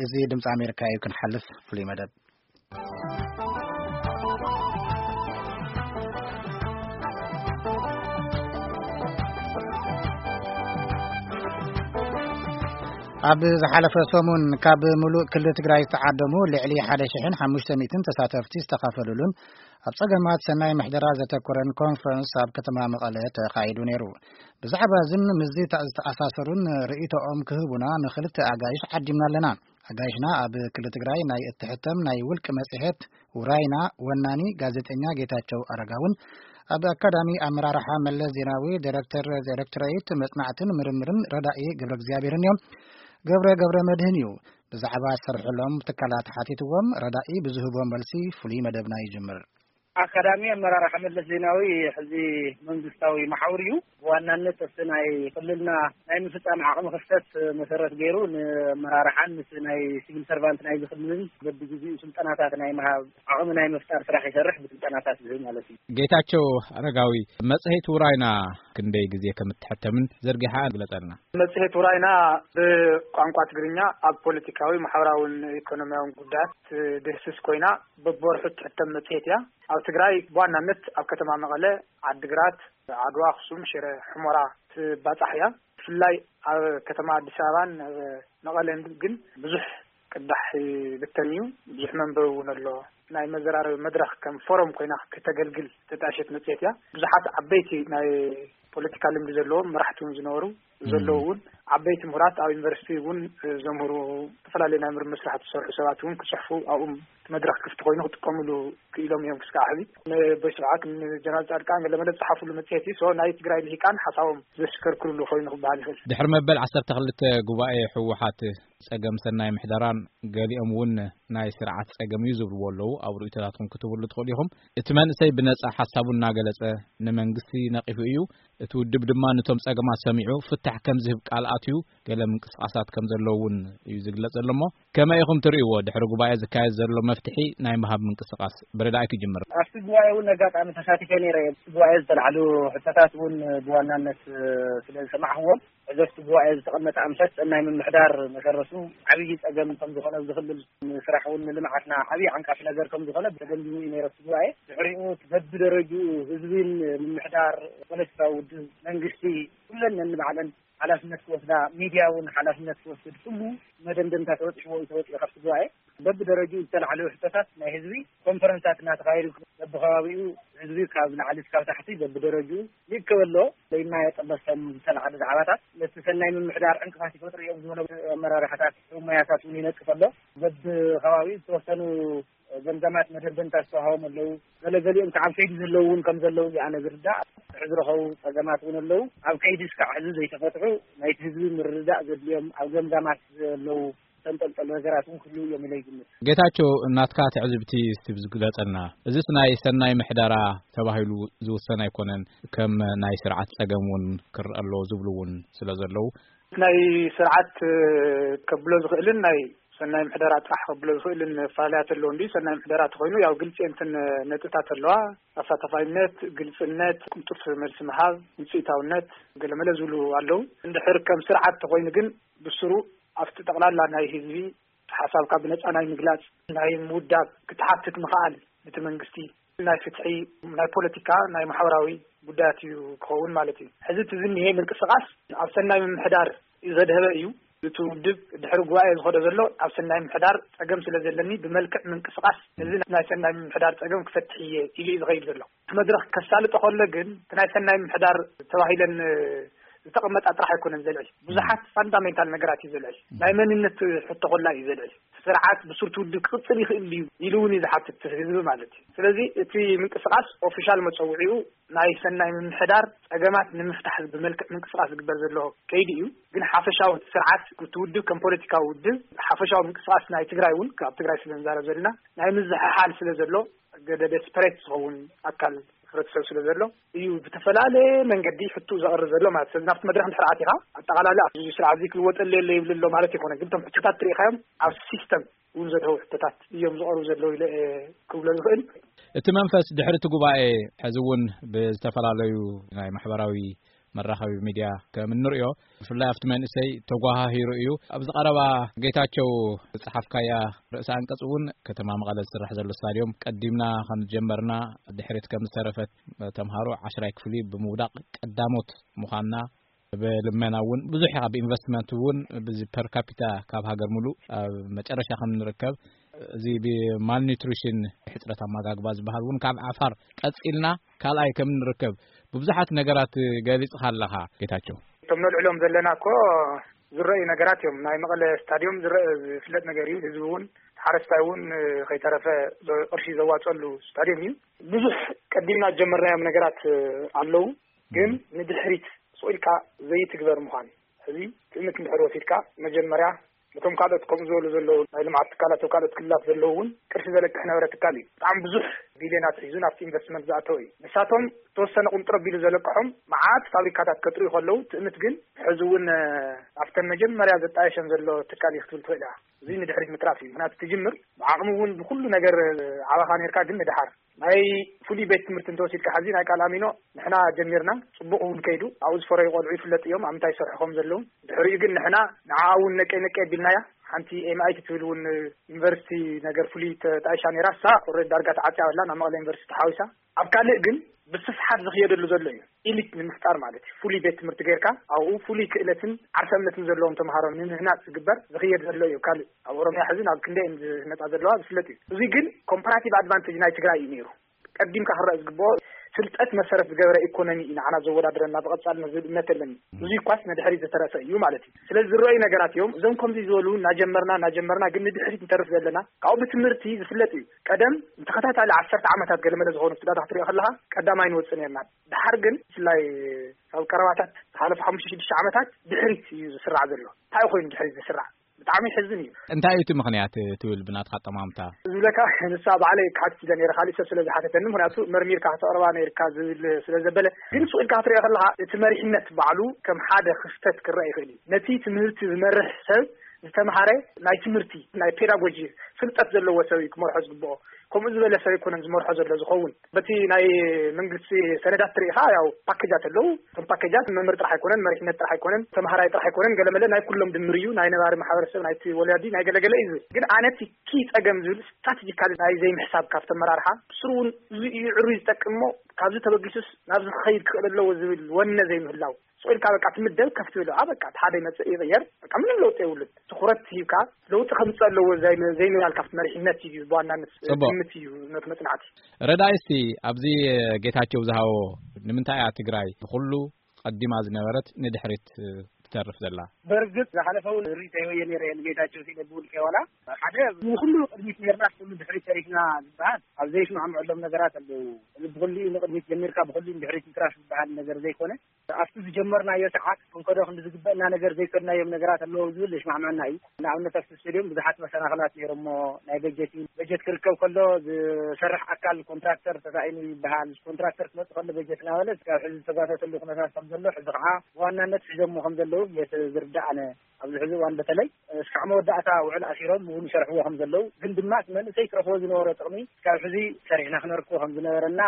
እዚ ድምፂ ኣሜሪካ እዩ። ክንሓልፍ ፍሉይ መደብ። ኣብ ዝሓለፈ ሰሙን ካብ ምሉእ ክልል ትግራይ ዝተዓደሙ ልዕሊ ሓደ ሽሕን ሓሙሽተ ሚእትን ተሳተፍቲ ዝተኻፈሉሉን ኣብ ጸገማት ሰናይ ምሕደራ ዘተኮረን ኮንፈረንስ ኣብ ከተማ መቐለ ተኻይዱ ነይሩ። ብዛዕባ እዝን ምስዚ ተኣሳሰሩን ርእይቶኦም ክህቡና ንኽልተ ኣጋይሽ ዓዲምና ኣለና። ኣጋይሽና ኣብ ክልል ትግራይ ናይ እትሕተም ናይ ውልቂ መጽሔት ውራይና ወናኒ ጋዜጠኛ ጌታቸው ኣረጋውን ኣብ ኣካዳሚ ኣመራርሓ መለስ ዜናዊ ዳይሬክተር ዳይሬክቶሬት መጽናዕትን ምርምርን ረዳኢ ገብረ እግዚኣብሔርን እዮም። ገብረ ገብረ መድህን እዩ። ብዛዕባ ዝሰርሕሎም ትካላት ሓቲትዎም ረዳኢ ብዝህቦ መልሲ ፍሉይ መደብና ይጅምር። ኣካዳሚ ኣመራርሓ መለስ ዜናዊ ሕዚ መንግስታዊ መሓውር እዩ። ብዋናነት እቲ ናይ ክልልና ናይ ምፍጻም ዓቕሚ ክፍተት መሰረት ገይሩ ንመራርሓን ምስ ናይ ሲቪል ሰርቫንት ናይ ዝኽልልን በብግዜኡ ስልጠናታት ናይ ምሃብ ዓቕሚ ናይ ምፍጣር ስራሕ ይሰርሕ፣ ብስልጠናታት ዝህብ ማለት እዩ። ጌታቸው ኣረጋዊ፣ መጽሔት ውራይና ክንደይ ግዜ ከም እትሕተምን ዘርጊሓ ግለጸልና። መጽሔት ውራይና ብቋንቋ ትግርኛ ኣብ ፖለቲካዊ፣ ማሕበራውን ኢኮኖሚያውን ጉዳያት ትድህስስ ኮይና፣ በብወርሑ እትሕተም መጽሔት እያ። ኣብ ትግራይ ብዋናነት ኣብ ከተማ መቐለ፣ ዓድግራት፣ ዓድዋ፣ ኣኽሱም፣ ሽረ፣ ሑመራ ትባጻሕ እያ። ብፍላይ ኣብ ከተማ ኣዲስ ኣበባን ኣብ መቐለን ግን ብዙሕ ቅዳሕ ይብተን እዩ። ብዙሕ መንበቢ እውን ኣሎ። ናይ መዘራረቢ መድረኽ ከም ፎረም ኮይና ክተገልግል ዝተጣሸት መጽሔት እያ። ብዙሓት ዓበይቲ ናይ ፖለቲካ ልምዲ ዘለዎም መራሕቲ እውን ዝነበሩ፣ ዘለዉ እውን ዓበይቲ ምሁራት፣ ኣብ ዩኒቨርሲቲ እውን ዘምህሩ፣ ዝተፈላለዩ ናይ ምርምር ስራሕቲ ዝሰርሑ ሰባት እውን ክጽሕፉ ኣብኡ እቲ መድረኽ ክፍቲ ኮይኑ ክጥቀምሉ ክኢሎም እዮም ክስካዕ ሕዚ። ንቦይ ስብሓት፣ ንጀነራል ጻድቃን ገለ መለ ዝጸሓፍሉ መጽሔት እዩ። ሶ ናይ ትግራይ ልሂቃን ሓሳቦም ዘሽከርክርሉ ኮይኑ ክበሃል ይኽእል። ድሕሪ መበል ዓሰርተ ክልተ ጉባኤ ህወሓት ጸገም ሰናይ ምሕደራን ገሊኦም እውን ናይ ስርዓት ጸገም እዩ ዝብልዎ ኣለዉ። ኣብ ርእይቶታትኩም ክትብሉ ትኽእሉ ኢኹም። እቲ መንእሰይ ብነጻ ሓሳቡ እናገለጸ ንመንግስቲ ነቒፉ እዩ። እቲ ውድብ ድማ ነቶም ጸገማት ሰሚዑ ፍታሕ ከም ዝህብ ቃል ኣትዩ፣ ገለ ምንቅስቓሳት ከም ዘለዉ እውን እዩ ዝግለጽ ዘሎ። እሞ ከመይ ኢኹም ትርእይዎ? ድሕሪ ጉባኤ ዝካየድ ዘሎ መፍትሒ ናይ ምሃብ ምንቅስቓስ ብረዳኢ ክጅምር። ኣብቲ ጉባኤ እውን ኣጋጣሚ ተሳቲፈ ነይረ። ኣብቲ ጉባኤ ዝተላዕሉ ሕቶታት እውን ብዋናነት ስለ ዝሰማዕኽዎም፣ ሕዚ ኣብቲ ጉባኤ ዝተቐመጠ ኣምሳት ሰናይ ምምሕዳር መሰረቱ ዓብዪ ጸገም ከም ዝኾነ፣ ኣብዚ ክልል ንስራሕ እውን ንልምዓትና ዓብዪ ዓንቃፊ ነገር ከም ዝኾነ ተገንዚቡ እዩ ነይሩ ኣብቲ ጉባኤ። ድሕሪኡ በብደረጅኡ ህዝብን ምምሕዳር፣ ፖለቲካዊ ውድብ፣ መንግስቲ፣ ኩለን ነንባዕለን ሓላፍነት ክወስዳ፣ ሚድያ እውን ሓላፍነት ክወስድ፣ ኩሉ መደምደምታ ተበፂሕዎ እዩ ተወፂኡ ካብቲ ጉባኤ። በብደረጅኡ ዝተላዕሉ ሕቶታት ናይ ህዝቢ ኮንፈረንሳት እናተኻየዱ፣ በብከባቢኡ ህዝቢ ካብ ላዕሊ እስካብ ታሕቲ በብደረጅኡ ይእከብ ኣሎ። ለይና የጠበሰም ዝተላዕሉ ዛዕባታት ነቲ ሰናይ ምምሕዳር ዕንቅፋት ይፈጥሩ እዮም ዝበሎ ኣመራርሓታት፣ ሞያታት እውን ይነቅፍ ኣሎ። በብከባቢኡ ዝተወሰኑ ገምጋማት መደምደምታ ዝተዋሃቦም ኣለዉ። ገለገሊኦም ከዓ ኣብ ከይዲ ዘለዉ እውን ከም ዘለዉ እዩ ኣነ ዝርዳእ። ዝርከቡ ጸገማት እውን ኣለዉ። ኣብ ከይዲ እስካዕ ሕዚ ዘይተፈትሑ ናይቲ ህዝቢ ምርዳእ ዘድልዮም ኣብ ገምጋማት ዘለዉ ተንጠልጠሉ ነገራት እውን ክህልዉ እዮም ኢለ ይግምት። ጌታቸው፣ ናትካ ትዕዝብቲ እስቲ ብዝግለጸልና። እዚስ ናይ ሰናይ ምሕደራ ተባሂሉ ዝውሰን ኣይኮነን፣ ከም ናይ ስርዓት ጸገም እውን ክረአ ኣለዎ ዝብሉ እውን ስለ ዘለዉ። ናይ ስርዓት፣ እ፣ ከብሎ ዝኽእልን ናይ ሰናይ ምሕደራ ጥራሕ ከብሎ ዝኽእልን ፈላለያት ኣለዎ። እንዲ ሰናይ ምሕደራ ተኾይኑ ያው ግልፂ እንትን ነጥብታት ኣለዋ። ኣሳታፋይነት፣ ግልፅነት፣ ቅልጡፍ መልሲ ምሃብ፣ ውፅኢታውነት፣ ገለመለ ዝብሉ ኣለዉ። እንድሕር ከም ስርዓት ተኾይኑ ግን ብስሩ ኣብቲ ጠቕላላ ናይ ህዝቢ ሓሳብካ ብነፃ ናይ ምግላፅ፣ ናይ ምውዳብ ክትሓትት ምኽኣል፣ እቲ መንግስቲ ናይ ፍትሒ፣ ናይ ፖለቲካ፣ ናይ ማሕበራዊ ጉዳያት እዩ ክኸውን ማለት እዩ። ሕዚ እቲ ዝኒሄ ምንቅስቓስ ኣብ ሰናይ ምምሕዳር ዘድሀበ እዩ። እቲ ውድብ ድሕሪ ጉባኤ ዝኸዶ ዘሎ ኣብ ሰናይ ምምሕዳር ጸገም ስለ ዘለኒ ብመልክዕ ምንቅስቓስ እዚ ናይ ሰናይ ምምሕዳር ጸገም ክፈትሕ እየ ኢሉ እዩ ዝኸይድ ዘሎ። እቲ መድረኽ ከሳልጦ ከሎ ግን እቲ ናይ ሰናይ ምምሕዳር ተባሂለን ዝተቐመጣ ጥራሕ ኣይኮነን ዘልዕል። ብዙሓት ፋንዳሜንታል ነገራት እዩ ዘልዕል። ናይ መንነት ሕቶ ኮላ እዩ ዘልዕል። ስርዓት ብሱር ትውድብ ክቕጽል ይኽእል እዩ ኢሉ እውን እዩ ዝሓትት ህዝቢ ማለት እዩ። ስለዚ እቲ ምንቅስቓስ ኦፊሻል መጸውዒኡ ናይ ሰናይ ምምሕዳር ጸገማት ንምፍታሕ ብመልክዕ ምንቅስቓስ ዝግበር ዘሎ ከይዲ እዩ። ግን ሓፈሻዊ ስርዓት እቲ ውድብ ከም ፖለቲካዊ ውድብ ሓፈሻዊ ምንቅስቓስ ናይ ትግራይ እውን ካብ ትግራይ ስለ ንዛረብ ዘለና ናይ ምዝሕሓል ስለ ዘሎ ገደ ደስፐሬት ዝኸውን ኣካል ሕብረተሰብ ስለ ዘሎ እዩ ብተፈላለየ መንገዲ ሕቱ ዘቕርብ ዘሎ ማለት። ስለዚ ናብቲ መድረኽ እንድሕር ኣቲኻ ኣጠቓላሊ ኣብዚ ስርዓት እዚ ክልወጠሉ የለ ይብል ኣሎ ማለት ይኮነ። ግን እቶም ሕቶታት ትሪኢኻዮም ኣብ ሲስተም እውን ዘለዉ ሕቶታት እዮም ዝቐርቡ ዘለዉ ኢለ እየ ክብሎ ዝኽእል። እቲ መንፈስ ድሕሪ እቲ ጉባኤ ሕዚ እውን ብዝተፈላለዩ ናይ ማሕበራዊ መራኸቢ ሚድያ ከም እንርእዮ፣ ብፍላይ ኣብቲ መንእሰይ ተጓሃሂሩ እዩ። ኣብዚ ቀረባ ጌታቸው ዝጸሓፍካያ ርእሰ ኣንቀጽ እውን፣ ከተማ መቐለ ዝስራሕ ዘሎ ስታድዮም ቀዲምና ከም ዝጀመርና፣ ድሕሪት ከም ዝተረፈት ተምሃሮ ዓሽራይ ክፍሊ ብምውዳቕ ቀዳሞት ምዃንና፣ ብልመና እውን ብዙሕ፣ ካብ ኢንቨስትመንት እውን ብዚ ፐር ካፒታ ካብ ሃገር ሙሉእ ኣብ መጨረሻ ከም ንርከብ፣ እዚ ብማልኒትሪሽን፣ ሕፅረት ኣመጋግባ ዝበሃል እውን ካብ ዓፋር ቀፂልና ካልኣይ ከም ንርከብ ብብዙሓት ነገራት ገሊፅኻ ኣለኻ ጌታቸው። እቶም ነልዕሎም ዘለና እኮ ዝረኣዩ ነገራት እዮም። ናይ መቐለ ስታድዮም ዝረአ ዝፍለጥ ነገር እዩ። ህዝቢ እውን፣ ሓረስታይ እውን ከይተረፈ ዘ-፣ ቅርሺ ዘዋፀሉ ስታድዮም እዩ። ብዙሕ ቀዲምና ዝጀመርናዮም ነገራት ኣለዉ፣ ግን ንድሕሪት ስቕ ኢልካ ዘይትግበር ምዃን። ሕዚ ትእምት እንድሕር ወሲድካ፣ መጀመርያ ነቶም ካልኦት ከምኡ ዝበሉ ዘለዉ ናይ ልምዓት ትካላት ኣብ ካልኦት ክልላት ዘለዉ እውን ቅርሺ ዘለቅሕ ነበረ ትካል እዩ። ብጣዕሚ ብዙሕ ቢልዮናት ሒዙ ናብቲ ኢንቨስትመንት ዝኣተወ እዩ። ንሳቶም ዝተወሰነ ቁንጥር ኣቢሉ ዘለቅሖም መዓት ፋብሪካታት ከጥርዩ ከለዉ፣ ትእምት ግን ሕዚ እውን፣ እ፣ ኣብተን መጀመርያ ዘጣየሸን ዘሎ ትካል እዩ ክትብል ትኽእል ኢኻ። እዚ ንድሕሪት ምትራፍ እዩ። ምኽንያቱ ትጅምር ብዓቕሚ እውን ብኩሉ ነገር ዓባኻ ኔርካ፣ ግን ንደሓር ናይ ፍሉይ ቤት ትምህርቲ እንተወሲድካ፣ ሕዚ ናይ ቃል ኣሚኖ ንሕና ጀሚርና፣ ጽቡቕ እውን ከይዱ፣ ኣብኡ ዝፈረዩ ቆልዑ ይፍለጥ እዮም ኣብ ምንታይ ይሰርሑ ከም ዘለዉ። ድሕሪኡ ግን ንሕና ንዓኣ እውን ነቀይ ነቀይ ኣቢልናያ። ሓንቲ ኤምኣይቲ ትብል እውን ዩኒቨርሲቲ ነገር ፍሉይ ተጣይሻ ነይራ፣ እሳ ኦልሬዲ ዳርጋ ተዓጽያ ኣላ፣ ናብ መቐለ ዩኒቨርሲቲ ተሓዊሳ። ኣብ ካልእ ግን ብስፍሓት ዝኽየደሉ ዘሎ እዩ። ኢሊት ንምፍጣር ማለት እዩ። ፍሉይ ቤት ትምህርቲ ጌርካ፣ ኣብኡ ፍሉይ ክእለትን ዓርሰ እምነትን ዘለዎም ተምሃሮ ንምህናጽ ዝግበር፣ ዝኽየድ ዘሎ እዩ። ካልእ ኣብ ኦሮምያ ሕዚ ናብ ክንደይ እየን ዝህነጻ ዘለዋ ዝፍለጥ እዩ። እዚ ግን ኮምፓራቲቭ ኣድቫንቴጅ ናይ ትግራይ እዩ ነይሩ። ቀዲምካ ክረአ ዝግብኦ፣ ፍልጠት መሰረት ዝገበረ ኢኮኖሚ እዩ ንዓና ዘወዳድረና ብቐጻልነት ዝብል እምነት ኣለኒ። እዚ እኳስ ንድሕሪት ዝተረፈ እዩ ማለት እዩ። ስለዚ ዝረኣዩ ነገራት እዮም። እዞም ከምዚ ዝበሉ እናጀመርና፣ እናጀመርና ግን ንድሕሪት ንተርፍ ዘለና፣ ካብኡ ብትምህርቲ ዝፍለጥ እዩ። ቀደም ንተኸታታሊ ዓሰርተ ዓመታት ገለመለ ዝኾኑ ዳታ ክትሪኦ ከለኻ ቀዳማይ ንወጽእ ነርና። ድሓር ግን ብፍላይ ካብ ቀረባታት ዝሓለፉ ሓሙሽተ ሽዱሽተ ዓመታት ድሕሪት እዩ ዝስራዕ ዘሎ። እንታይ ኮይኑ ድሕሪት ዝስራዕ? ብጣዕሚ ይሕዝን እዩ። እንታይ እዩ እቲ ምኽንያት ትብል ብናትካ ኣጠማምታ? ዝብለካ ንሳ ባዕለይ ክሓትት ኢለ ነይረ፣ ካሊእ ሰብ ስለ ዝሓተተኒ፣ ምኽንያቱ መርሚርካ ከተቕርባ ነይርካ ዝብል ስለ ዘበለ። ግን ስቕ ኢልካ ክትሪኦ ከለኻ እቲ መሪሕነት ባዕሉ ከም ሓደ ክፍተት ክረአ ይኽእል እዩ። ነቲ ትምህርቲ ዝመርሕ ሰብ ዝተምሃረ ናይ ትምህርቲ፣ ናይ ፔዳጎጂ ፍልጠት ዘለዎ ሰብ እዩ ክመርሖ ዝግብኦ። ከምኡ ዝበለ ሰብ ኣይኮነን ዝመርሖ ዘሎ ዝኸውን። በቲ ናይ መንግስቲ ሰነዳት ትርኢኻ፣ ያው ፓኬጃት ኣለዉ። እቶም ፓኬጃት መምህር ጥራሕ ኣይኮነን፣ መሪሕነት ጥራሕ ኣይኮነን፣ ተምሃራይ ጥራሕ ኣይኮነን፣ ገለመለ ናይ ኩሎም ድምር እዩ፣ ናይ ነባሪ ማሕበረሰብ፣ ናይቲ ወላዲ፣ ናይ ገለገለ እዩ ዝብል። ግን ኣነ እቲ ኪ ጸገም ዝብል ስትራቴጂካሊ ናይ ዘይምሕሳብ ካብቲ ኣመራርሓ፣ ብስሩ እውን እዚ እዩ ዕሩይ ዝጠቅም እሞ፣ ካብዚ ተበጊሱስ ናብዚ ክኸይድ ክኽእል ኣለዎ ዝብል ወነ ዘይምህላው። ስቕ ኢልካ በቃ ትምደብ፣ ከፍ ትብል፣ ኣ፣ በቃ እቲ ሓደ ይመጽእ ይቕየር፣ በቃ ምንም ለውጢ የብሉን። ትኹረት ሂብካ ለውጢ ከምጽእ ኣለዎ ዘይ-፣ ዘይምባል ካብቲ መሪሕነት እዩ ብዋናነት ጽቡቕ። ግምት እዩ ነቲ መጽናዕቲ። ረዳኢ፣ እስቲ ኣብዚ ጌታቸው ዝሃቦ፣ ንምንታይ እያ ትግራይ ብኹሉ ቀዲማ ዝነበረት ንድሕሪት ትተርፍ ዘላ? በርግጥ ዝሓለፈ እውን ርእይቶይ ወየ ነይረ እየ ንጌታቸው ሲለ ብውልቀ ዋላ ሓደ ንኹሉ ቅድሚት ነርና፣ ኩሉ ድሕሪት ተሪፍና ዝበሃል ኣብ ዘይስማዕምዐሎም ነገራት ኣለዉ። እዚ ብኹሉ ንቕድሚት ጀሚርካ ብኹሉ ድሕሪት ይትራፍ ዝበሃል ነገር ዘይኮነ፣ ኣብቲ ዝጀመርናዮ ሰዓት ክንከዶ ክንዲ ዝግበእና ነገር ዘይከድናዮም ነገራት ኣለዉ ዝብል ይስማዕመዐና እዩ። ንኣብነት ኣብቲ ስቴድዮም ብዙሓት መሰናኽላት ነይሮሞ፣ ናይ በጀት እዩ። በጀት ክርከብ ከሎ ዝሰርሕ ኣካል ኮንትራክተር ተሳኢኑ ይበሃል። ኮንትራክተር ክመጽእ ከሎ በጀት እናበለ እስካብ ሕዚ ዝተጓተተሉ ኩነታት ከም ዘሎ፣ ሕዚ ከዓ ብዋናነት ሒዞሞ ከም ዘለዉ እየ ዝርዳእ ኣነ። ኣብዚ ሕዚ እዋን በተለይ እስካዕ መወዳእታ ውዕል ኣሲሮም እውን ይሰርሕዎ ከም ዘለዉ፣ ግን ድማ እቲ መንእሰይ ክረኽቦ ዝነበሮ ጥቕሚ እስካብ ሕዚ ሰሪሕና ክነርክቦ ከም ዝነበረና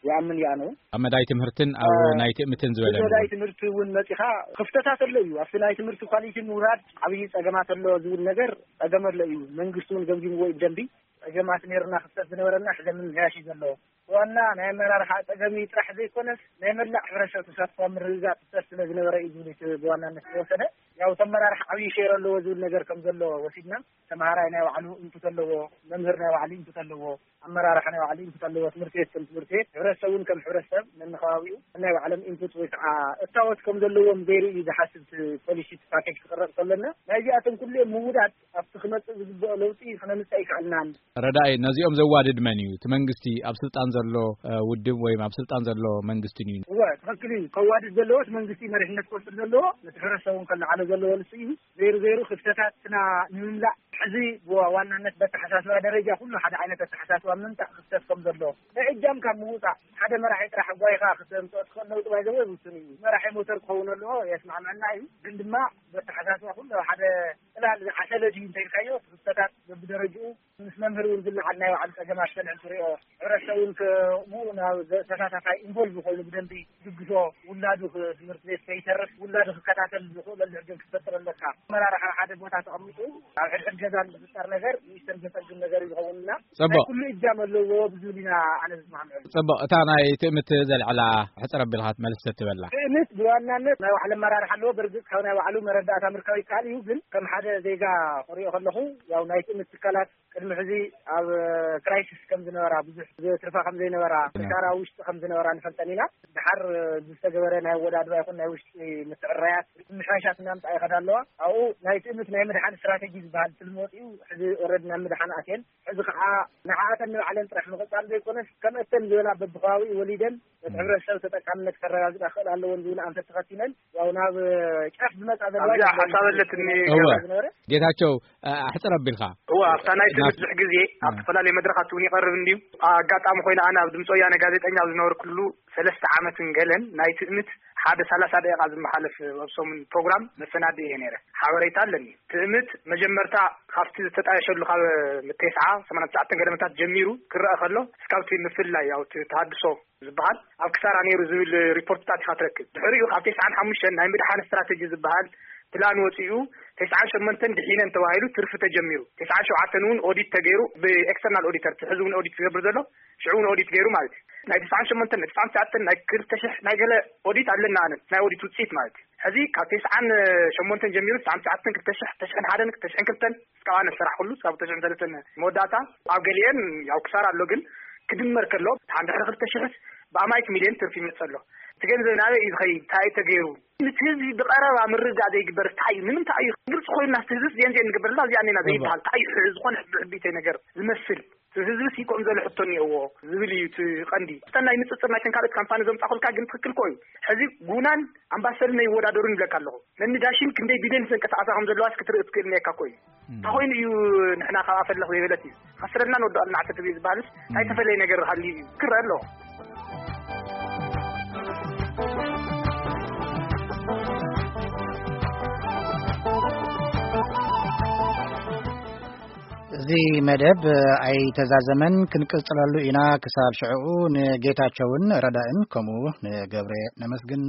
ይኣምን ይኣኑ። ኣብ መዳይ ትምህርትን ኣብ እ፣ ናይ ትእምትን ዝበለ እቲ መዳይ እውን። ትምህርቲ እውን መጺኻ ክፍተታት ኣሎ እዩ። ኣብቲ ናይ ትምህርቲ ኳሊቲ ምውራድ ዓብዪ ጸገማት ኣሎ ዝብል ነገር ጸገም ኣሎ እዩ። መንግስቲ እውን ገምጊምዎ እዩ ብደንቢ። ጸገማት ነይርና ክፍተት ዝነበረና ሕዚ ምምሕያሽ እዩ ዘለዎ። ዋና ናይ ኣመራርሓ ጸገም እዩ ጥራሕ ዘይኮነስ ናይ መላእ ሕብረተሰብ ተሳትፎ ምርግጋጽ ክፍተት ስለ ዝነበረ እዩ ዝብል እቲ ብዋናነት ዝወሰደ። ያው እቲ ኣመራርሓ ዓብዪ ሼር ኣለዎ ዝብል ነገር ከም ዘሎ ወሲድና፣ ተምሃራይ ናይ ባዕሉ ኢንፑት ኣለዎ፣ መምህር ናይ ባዕሉ ኢንፑት ኣለዎ፣ ኣመራርሓ ናይ ባዕሉ ኢንፑት ኣለዎ፣ ትምህርቲ ቤት ከም ትምህርቲ ቤት፣ ሕብረተሰብ እውን ከም ሕብረተሰብ ነንኸባቢኡ ናይ ባዕሎም ኢንፑት ወይ ከዓ እታወት ከም ዘለዎም ገይሩ እዩ ዝሓስብ እቲ ፖሊሲ፣ እቲ ፓኬጅ ክቕረጽ ከለና። ናይዚኣቶም ኩሉ እዮም ምውዳድ ኣብቲ ክመጽእ ዝግብኦ ለውጢ ክነምጽእ ኣይከኣልናን። ረዳኢ፣ ነዚኦም ዘዋድድ መን እዩ? እቲ መንግስቲ፣ ኣብ ስልጣን ዘሎ፣ እ፣ ውድብ ወይም ኣብ ስልጣን ዘሎ መንግስቲ እዩ? እወ፣ ትኽክል እዩ። ከዋድድ ዘለዎ እቲ መንግስቲ መሪሕነት ክወስድ ዘለዎ፣ ነቲ ሕብረተሰብ እውን ከለዓሎ ዘለዎ ንሱ እዩ። ዘይሩ ዘይሩ ክፍተታትና ንምምላእ ሕዚ ብዋናነት በተሓሳስባ ደረጃ ኩሉ ሓደ ዓይነት ኣተሓሳስባ ምምጻእ ክፍተት ከም ዘሎ፣ ናይ እጃምካ ምውጻእ፣ ሓደ መራሒ ጥራሕ ጓይኻ ክተምጽኦ ትኽእል ለውጢ ባይዘወ ውሱን እዩ። መራሒ ሞተር ክኸውን ኣለዎ፣ የስማዕመዐና እዩ። ግን ድማ በተሓሳስባ ኩሉ ሓደ ጽላል ዝዓሰለ ድዩ እንተኢልካዮ፣ ክፍተታት በብደረጅኡ ምስ መምህር እውን ዝለዓል ናይ ባዕሉ ጸገማት ከልዕል ትሪኦ። ሕብረተሰብ እውን ከምኡ ናብ ተሳታፋይ ኢንቮልቭ ኮይኑ ብደንቢ ድግሶ፣ ውላዱ ክ-፣ ትምህርቲ ቤት ከይተርፍ ውላዱ ክከታተል ዝኽእለሉ ዕድል ክትፈጥር ኣለካ። ኣመራርሓ ሓደ ቦታ ተቐሚጡ ኣብ ሕድሕድ ገዛ ዝፍጠር ነገር ንእሽተን ዘጸግም ነገር እዩ ዝኸውንና። ጽቡቕ። ናይ ኩሉ እጃም ኣለዎ ብዝብል ኢና ኣነ ዝስማምዐሉ። ጽቡቕ። እታ ናይ ትእምት ዘልዕላ ሕጽር ኣቢልካ መልስ ትበላ። ትእምት ብዋናነት ናይ ባዕሉ ኣመራርሓ ኣለዎ። በርግጽ ካብ ናይ ባዕሉ መረዳእታ ምርካብ ይከኣል እዩ፣ ግን ከም ሓደ ዜጋ ክሪኦ ከለኹ ያው ናይ ትእምት ትካላት ቅድሚ ሕዚ ኣብ ክራይሲስ ከም ዝነበራ፣ ብዙሕ ትርፋ ከም ዘይነበራ፣ ክሳራ ውሽጢ ከም ዝነበራ ንፈልጠን ኢና። ድሓር ዝተገበረ ናይ ኣወዳድባ ይኹን ናይ ውሽጢ ምትዕራያት ምሻሻት እናምጻ ይኸዳ ኣለዋ። ኣብኡ ናይ ትእምት ናይ ምድሓን ስትራቴጂ ዝበሃል ትልሚ ወፂኡ፣ ሕዚ ኦልሬዲ ናብ ምድሓን ኣትየን። ሕዚ ከዓ ንዓኣተን ንባዕለን ጥራሕ ምቕጻል ዘይኮነስ፣ ከምእተን ዝበላ በብከባቢኡ ወሊደን ነቲ ሕብረተሰብ ተጠቃምነት ከረጋግጻ ክኽእል ኣለወን ዝብል ኣንፈት ተኸቲለን፣ ያው ናብ ጫፍ ዝመጻ ዘለዋ ኣብዚኣ ይመስለኒ። ሓሳብ ኣለትኒ እወ። ገብረ። ዝነበረ። ጌታቸው፣ ኣ-፣ ኣሕጽር ኣቢልካ። እወ፣ ኣብታ ናይ ትምህርቲ ናት-፣ ብዙሕ ግዜ ኣብ እ። ዝተፈላለዩ መድረኻት እውን ይቐርብ እንድዩ። ኣጋጣሚ ኮይኑ ኣነ ኣብ ድምፂ ወያነ ጋዜጠኛ ኣብ ዝነበርኩሉ ሰለስተ ዓመትን ገለን ናይ ትእምት ሓደ ሰላሳ ደቂቓ ዝመሓለፍ ኣብ ሰሙን ፕሮግራም መሰናድእ እየ ነይረ። ሓበሬታ ኣለኒ። ትእምት መጀመርታ ካብቲ ዝተጣየሸሉ ካብ ተስዓ ሰማንያ ትሽዓተ ገደመታት ጀሚሩ ክረአ ከሎ፣ እስካብቲ ምፍላይ፣ ያው፣ እቲ ተሃድሶ ዝበሃል ኣብ ክሳራ ነይሩ ዝብል ሪፖርትታት ኢኻ ትረክብ። ድሕሪኡ ካብ ተስዓን ሓሙሽተን ናይ ምድሓን ስትራተጂ ዝበሃል ፕላን ወፂኡ፣ ተስዓን ሸሞንተን ድሒነን ተባሂሉ ትርፊ ተጀሚሩ። ተስዓን ሸውዓተን እውን ኦዲት ተገይሩ ብኤክስተርናል ኦዲተር፣ እቲ ሕዚ እውን ኦዲት ዝገብር ዘሎ፣ ሽዑ እውን ኦዲት ገይሩ ማለት እዩ። ናይ ተስዓን ሸሞንተን፣ ናይ ተስዓን ትሽዓተን፣ ናይ ክልተ ሽሕ ናይ ገለ ኦዲት ኣለና፣ ኣነ ናይ ኦዲት ውፅኢት ማለት እዩ። ሕዚ ካብ ተስዓን ሸሞንተን ጀሚሩ፣ ተስዓን ትሽዓተን፣ ክልተ ሽሕ፣ ክልተ ሽሕን ሓደን፣ ክልተ ሽሕን ክልተን፣ እስካብ ኣነ ዝሰራሕኩሉ፣ እስካብ ክልተ ሽሕን ሰለስተን መወዳእታ፣ ኣብ ገሊአን ያው ክሳራ ኣሎ፣ ግን ክድመር ከሎ፣ ሓንድ ድሕሪ ክልተ ሽሕስ ብኣማይት ሚልዮን ትርፊ ይመጽእ ኣሎ። እቲ ገንዘብ ናበይ እዩ ዝኸይድ? እንታይ እዩ ተገይሩ? ነቲ ህዝቢ ብቐረባ ምርዳእ ዘይግበር እንታይ እዩ? ንምንታይ እዩ? ግልፂ ኮይንና፣ እቲ ህዝብስ ዜን ዜን ንግበር፣ እዛ እዚኣ እኔና እወ። ዘይበሃል እንታይ እዩ? ዝኾነ ሕቢ-፣ ሕቢተይ ነገር ዝመስል። እቲ ህዝብስ ይቆም ዘሎ ሕቶ እኒኦዎ ዝብል እዩ እቲ ቀንዲ። እተን ናይ ንፅፅር ናይተን ካልኦት ካምፓኒ ዘምፃእኩልካ ግን ትኽክል እኮ እዩ። ሕዚ ጉናን ኣምባሰልን ኣይወዳደሩን ይብለካ ኣለኹ። ነኒ ዳሽን ክንደይ ቢልዮን ዘንቀሳቐሳ ከም ዘለዋስ ክትርኢ ትኽእል እኒአካ እኮ እዩ። እም። እንታይ ኮይኑ እዩ ንሕና ካብኣ ፈለኽ ዘይበለት እዩ? ከስረልና ንወድቐልና ዓሰርተ ቢልዮን ዝበሃልስ እንታይ እም። ተፈለየ ነገር ሃልዩ እዩ? ክረአ ኣለኹ። እዚ መደብ ኣይተዛዘመን፣ ክንቅጽለሉ ኢና። ክሳብ ሽዕኡ ንጌታቸውን ረዳእን ከምኡ ንገብረ ነመስግን።